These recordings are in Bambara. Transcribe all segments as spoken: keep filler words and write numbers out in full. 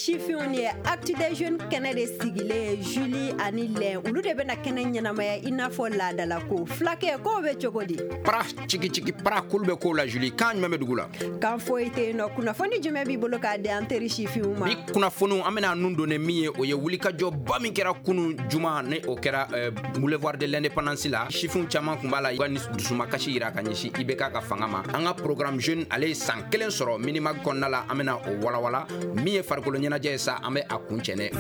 Sifinw ni ye Actu des Jeunes kɛnɛ de sigilen, Julie ani Lɛn, olu de bɛna kɛnɛ ɲɛnamaya i n'a fɔ laadala ko. Fulakɛ, k'o bɛ cogo di? Para cigi cigi para, kulu bɛ ko la. Julie, kan jumɛn bɛ dugu la? Kan foyi tɛ yen nɔ. Kunnafoni jumɛn b'i bolo k'a di an teri sifinw ma? Bi kunnafoniw, an bɛna nun don min ye, o ye wulikajɔba min kɛra kunun juma, ni o kɛra euh, boulevard de l'Indépendance la. Sifinw caman tun b'a la, u ka dusumakasi yira ka ɲɛsin I B K ka fanga ma. An ka programme jeune, ale ye san kelen sɔrɔ Minimag kɔnɔna la, an bɛna o walawala. Min ye farikolo ɲɛnajɛ ye sa, an bɛ a kun cɛnɛ.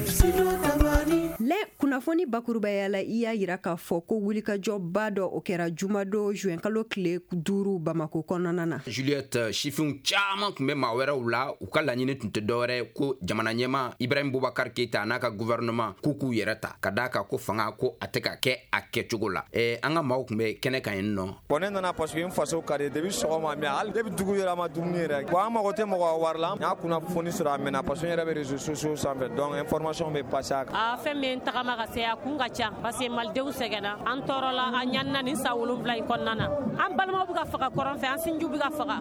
Lɛn, kunnafoni bakurubaya la, i y'a yira k'a fɔ ko wulikajɔba dɔ, o kɛra jumadon juin kalo tile duuru Bamako kɔnɔna na. Juliette, sifinw caman tun bɛ maa wɛrɛw la. U ka laɲini tun tɛ dɔwɛrɛ ko jamana ɲɛma Ibrahim Boubacar Keita n'a ka gouvernement k'u k'u yɛrɛ ta, ka d'a kan ko fanga ko a tɛ ka kɛ a kɛcogo la. eh, an ka maaw tun bɛ kɛnɛ kan yen nɔ. Bon, ne nana parce que n faso ka di. Depuis sɔgɔma, mais hali depuis dugu yɛrɛ, a ma dumuni yɛrɛ. Bon, an mago tɛ mɔgɔ ka wari la. N y'a kunnafoni sɔrɔ a mɛnna, parce que n yɛrɛ bɛ réseaux sociaux sanfɛ, donc information bɛ passer a kan. A fɛn min tagama ka se a kun ka ca, parce que malidenw sɛgɛnna, an tɔɔrɔla, an ɲanina nin san wolonwula in kɔnɔna na. An balimaw bɛ ka faga kɔrɔn fɛ, an sinjiw bɛ ka faga.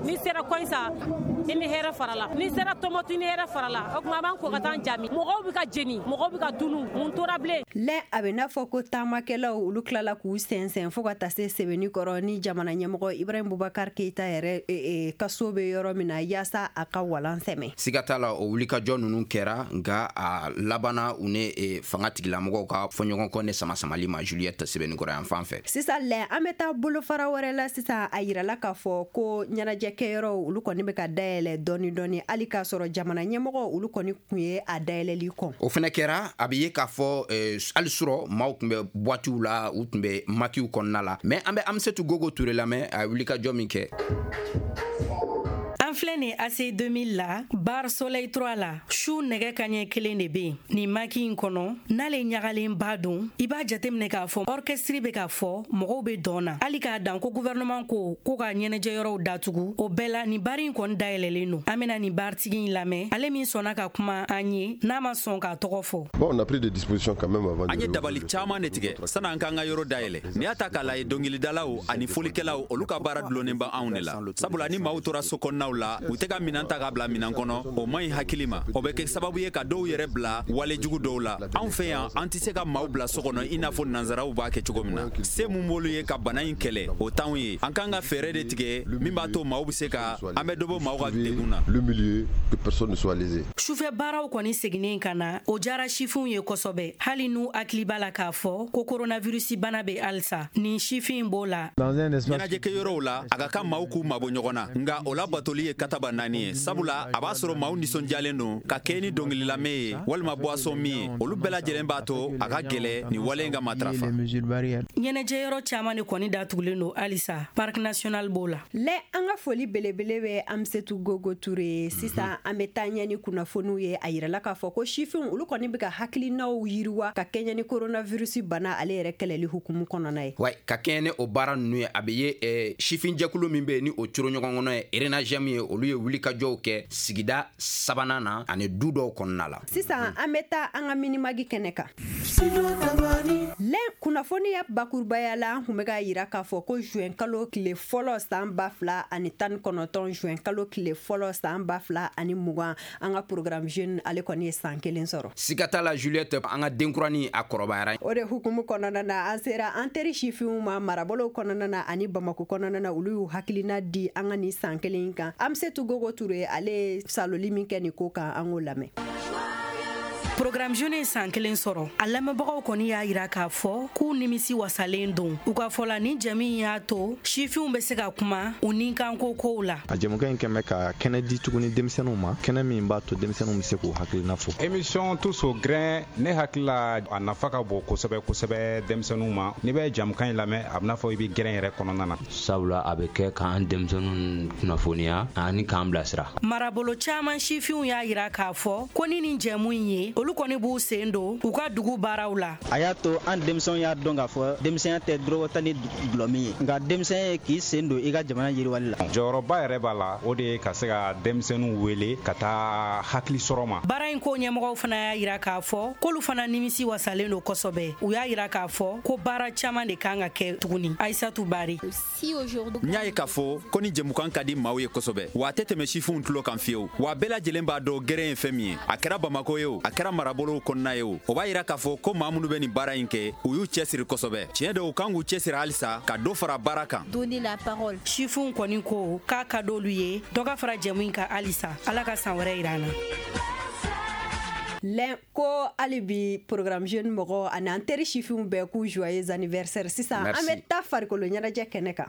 N'i sera Kɔyisa, i ni hɛrɛ farala. N'i sera Tɔmɔtu, i ni hɛrɛ farala. O tuma, an b'an ko ka taa jami. Mɔgɔw bɛ ka jeni, mɔgɔw bɛ ka tunu. Mun tora bilen? Lɛn, a bɛ n'a fɔ ko taamakɛlaw, olu tilala k'u sɛnsɛn fo ka taa se sɛbɛnni kɔrɔ ni jamana ɲɛmɔgɔ Ibrahim Boubacar Keita yɛrɛ e, e, ka so bɛ yɔrɔ min na, yaasa a ka walan sɛmɛ. Siga t'a la, o wulikajɔ ninnu kɛra, nka a labanna u ni e, fanga tigilamɔgɔw ka fɔɲɔgɔnkɔ ne sama-samali ma, Juliette, sɛbɛnnikɔrɔ yan fan fɛ. Sisan lɛ, an bɛ taa bolofara wɛrɛ la. Sisan, a yirala k'a fɔ ko ɲɛnajɛkɛyɔrɔw, olu kɔni bɛ ka dayɛlɛ dɔɔni dɔɔni, hali k'a sɔrɔ jamana ɲɛmɔgɔ, olu kɔni tun ye a dayɛlɛli kɔn. O fɛnɛ kɛra. A bɛ ye k'a fɔ eh, hali surɔ maaw tun bɛ boîtew la, u tun bɛ maquisw kɔnɔna la. Mais an bɛ Amisetu Gogo Ture lamɛn, a ye wulikajɔ min kɛ. An filɛ nin A C deux mille la, bar Soleil trois la. Su nɛgɛ kaɲɛ kelen de be yen nin maquis in kɔnɔ. N'ale ɲagalenba don, i b'a jateminɛ k'a fɔ orchestre be k'a fɔ, mɔgɔw be dɔn na. Hali k'a dan ko gouvernement ko ko ka ɲɛnajɛyɔrɔw datugu, o bɛɛ la nin bari in kɔni dayɛlɛlen don. An bena nin baritigi in lamɛn, ale min sɔnna ka kuma an ye, n'a ma sɔn k'a tɔgɔ fɔ. Bon, on a pris des dispositions quand même avant. An ye dabali caaman de tigɛ san'an k'an ka yɔrɔ dayɛlɛ. N'i y'a ta k'a lajɛ, dɔngilidalaw ani folikɛlaw, olu ka baara dulonnen bɛ anw de la, sabula ni maaw tora so kɔnɔnaw la, u tɛ ka minan ta ka bila minan kɔnɔ, o man ɲi hakili ma. O bɛ kɛ sababu ye ka dɔw yɛrɛ bila walejugu dɔw la. Anw fɛ yan, an tɛ se ka maaw bila so kɔnɔ i n'a fɔ nansaraw b'a kɛ cogo min na. Se mun b'olu ye ka bana in kɛlɛ, o t'anw ye. An k'an ka fɛɛrɛ de tigɛ min b'a to maaw bɛ se ka an bɛ dɔ bɔ maaw ka degun na. Le milieu, que personne ne soit lésé. Sufɛ baaraw kɔni seginnen ka na, o jara sifinw ye kosɛbɛ, hali n'u hakili b'a la k'a fɔ ko koronavirusi bana bɛ halisa. Nin sifin b'o la. Ɲɛnajɛkɛyɔrɔw la, a ka kan maaw k'u mabɔ ɲɔgɔn na, nka o labatoli ye kataba naani ye, sabula a b'a sɔrɔ maaw nisɔndiyalen don ka kɛ ni dɔnkililamɛn ye walima boisson min ye. Olu bɛɛ lajɛlen b'a to a ka gɛlɛ nin wale in ka matarafa. Ɲɛnajɛyɔrɔ caaman de kɔni datugulen don halisa, Parc national b'o la. Lɛ, an ka foli belebele bɛ Amisetu Gogo Ture. Sisan, an bɛ taa ɲɛ ni kunnafoniw ye. A yirala k'a fɔ ko sifinw, olu kɔni bɛ ka hakilinaw yiriwa ka kɛɲɛ ni coronavirus bana ale yɛrɛ kɛlɛli hukumu kɔnɔna ye. Wa ka kɛɲɛ ni o baara ninnu ye, a bɛ ye eh, sifinjɛkulu min bɛ yen ni o coro ɲɔgɔn kɔnɔ ye Renagem ye, olu ye wulikajɔw kɛ sigida sabanan na ani du dɔw kɔnɔna la. Sisan, an bɛ taa an ka Minimag kɛnɛ kan. Lɛn, kunnafoniya bakurubaya la, an kun bɛ ka yira k'a fɔ ko juin kalo tile fɔlɔ san ba fila ani tan ni kɔnɔntɔn, juin kalo tile fɔlɔ san ba fila ani mugan, an ka programme jeune, ale kɔni ye san kelen sɔrɔ. Siga t'a la, Juliette, an ka denkuranin a kɔrɔbayara. O de hukumu kɔnɔna na, an sera an teri sifinw ma marabolow kɔnɔna na ani Bamako kɔnɔna na. Olu y'u hakilina di an ka nin san kelen kan. Amisetu Gogo Ture, ale ye saloli min kɛ nin ko kan, an k'o lamɛn. Programme jeune ye san kelen sɔrɔ. A lamɛnbagaw kɔni y'a yira k'a fɔ k'u nimisi wasalen don. U ka fɔ la, ni jɛmi in y'a to sifinw bɛ se ka kuma u ni kanko kow la. A jɛmukan in kɛn bɛ ka kɛnɛ di tuguni denmisɛnninw ma, kɛnɛ min b'a to denmisɛnninw bɛ se k'u hakilina fɔ. Émission Tous au grin, ne hakili la, a nafa ka bon kosɛbɛ kosɛbɛ denmisɛnninw ma. N'i bɛ jamukan in lamɛn, a bɛna fɔ i bɛ grin yɛrɛ kɔnɔna na. Sabula a bɛ kɛ k'an denmisɛnninw kunnafoniya ani k'an bilasira. Marabolo caaman sifinw y'a yira k'a fɔ ko ni nin jɛmu in ye olu kɔni b'u sen don u ka dugu baaraw la. A y'a to an denmisɛnw y'a dɔn k'a fɔ denmisɛnya tɛ dɔrɔgɔ ta ni dɔlɔ min ye, nka denmisɛnya ye k'i sen don i ka jamana yiriwali la. Jɔyɔrɔba yɛrɛ b'a la, o de ye ka se ka denmisɛnninw wele ka taa hakili sɔrɔ ma. Baara in ko ɲɛmɔgɔw fana y'a yira k'a fɔ k'olu fana nimisi wasalen don kosɛbɛ. U y'a yira k'a fɔ ko baara caman de kan ka kɛ tuguni. Aïssatou Bari. N y'a ye k'a fɔ ko ni jɛmukan ka di maaw ye kosɛbɛ, wa a tɛ tɛmɛ sifinw tulo kan fiyewu, wa bɛɛ lajɛlen b'a dɔn gɛrɛn ye fɛn min ye, a kɛra Bamako ye o, a kɛra marabolow kɔnɔna ye o. O b'a yira k'a fɔ ko maa minnu bɛ nin baara in kɛ, u y'u cɛsiri kosɛbɛ. Tiɲɛ don, u kan k'u cɛsiri halisa ka dɔ fara baara kan. Sifinw kɔni ko k'a ka d'olu ye dɔ ka fara jɛmu in kan halisa. Ala ka san wɛrɛ yira an na. Lɛn ko hali bi programme jeune mɔgɔ ani an teri sifinw bɛɛ k'u joyeux anniversaire. Sisan an bɛ taa farikolo ɲɛnajɛ kɛnɛ kan.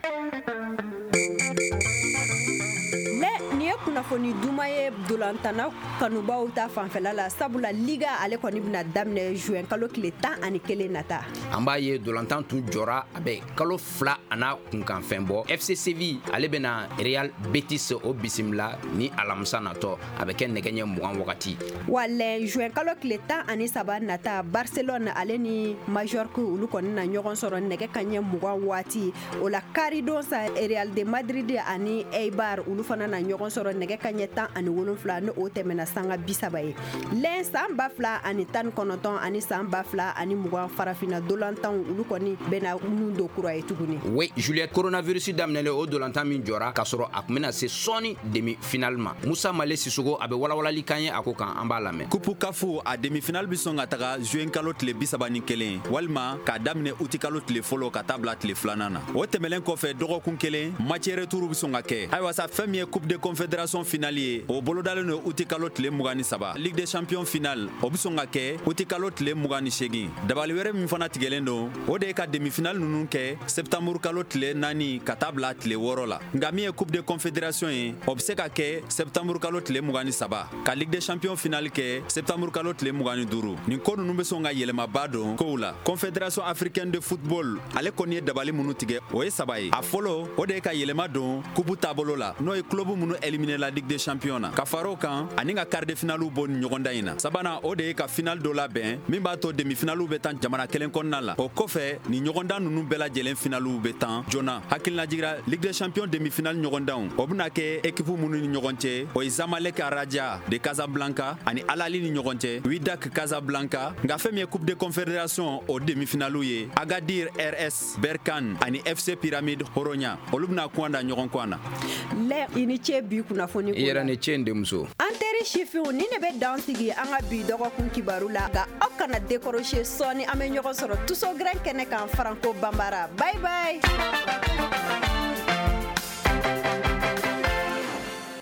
Lɛ nin ye kunnafoni duman ye dolantana kanubaw ta fanfɛla la, sabula liga ale kɔni bɛna daminɛ juin kalo tile tan ani kelen nata. An b'a ye dolantan tun jɔra a bɛ kalo fila a n'a kunkanfɛn bɔ. F C Séville ale bɛna Real Betis o bisimila ni alamisa natɔ, a bɛ kɛ nɛgɛ ɲɛ mugan wagati. Wa lɛ juin kalo tile tan ani saba nata, Barcelone ale ni Majorque olu kɔni na ɲɔgɔn sɔrɔ nɛgɛ kanɲɛ mugan waati. O la karidon sa, Real de Madrid ani Eibar olu fana na ɲɔgɔn sɔrɔ nɛgɛ kanɲɛ tan ani wolonfila, ni o tɛmɛna sanga bi saba ye. Lɛn san ba fila ani tan ni kɔnɔntɔn ani san ba fila ani mugan farafinna dolantanw olu kɔni bɛna nun don kura ye tuguni. Oui, Juliette, coronavirus daminɛlen o dolantan min jɔra k'a sɔrɔ a tun bɛna se sɔɔni demi finale ma. Musa Male Sissogo a bɛ walawalali kan ye a ko kan, an b'a lamɛn. Coupe C A F a demi finale bɛ sɔn ka taga juin kalo tile bi saba ni kelen walima k'a daminɛ uti kalo tile fɔlɔ ka taa bila tile filanan na. O tɛmɛlen kɔfɛ dɔgɔkun kelen match retour bɛ sɔn ka kɛ. Ayiwa sa, fɛn min ye Coupe de Confédération finale ye, o bolodalen don uti kalo tile mugan ni saba. Ligue des champions finale o bɛ sɔn ka kɛ uti kalo tile mugan ni seegin. Dabali wɛrɛ min fana tigɛlen don, o de ye ka demi finale ninnu kɛ septembre kalo tile naani ka taa bila tile wɔɔrɔ la. Nka min ye Coupe de Confédération ye, o bɛ se ka kɛ septembre kalo tile mugan ni saba, ka Ligue des champions finale kɛ septembre kalo tile mugan ni duuru. Nin ko ninnu bɛ sɔn ka yɛlɛmaba don kow la. Confédération africaine de football ale kɔni ye dabali minnu tigɛ, o ye saba ye. A fɔlɔ, o de ye ka yɛlɛma don coupe taabolo la, n'o ye club minnu éliminé la Ligue des champions na, ka fara o kan ani ka quart de finale bɔ nin ɲɔgɔndan in na. Sabanan, o de ye ka finale dɔ labɛn min b'a to demi finale bɛ tan jamana kelen kɔnɔna la. O kɔfɛ nin ɲɔgɔndan ninnu bɛɛ lajɛlen finale bɛ tan joona. Hakilinajigira Ligue des champions demi finale ɲɔgɔndanw, o bɛna kɛ équipe minnu ni ɲɔgɔn cɛ, o ye Zamalek Raja de Casablanca ani Al Ahly ni ɲɔgɔn cɛ, Wydad Casablanca. Nka fɛn min ye Coupe de Confédération o demi finale ye, Agadir R S Berkane ani F C Pyramide Horonya, olu bɛna kuwan da ɲɔgɔn kuwan na. Lɛ i ni ce bi kunnafoni ko la. I yɛrɛ ni ce n denmuso. An teri sifinw, ni ne bɛ dan sigi an ka bi dɔgɔkun kibaru la, nka aw kana décrocher, sɔɔni an bɛ ɲɔgɔn sɔrɔ Tuso Grain kɛnɛ kan Franco Bambara. Bye bye.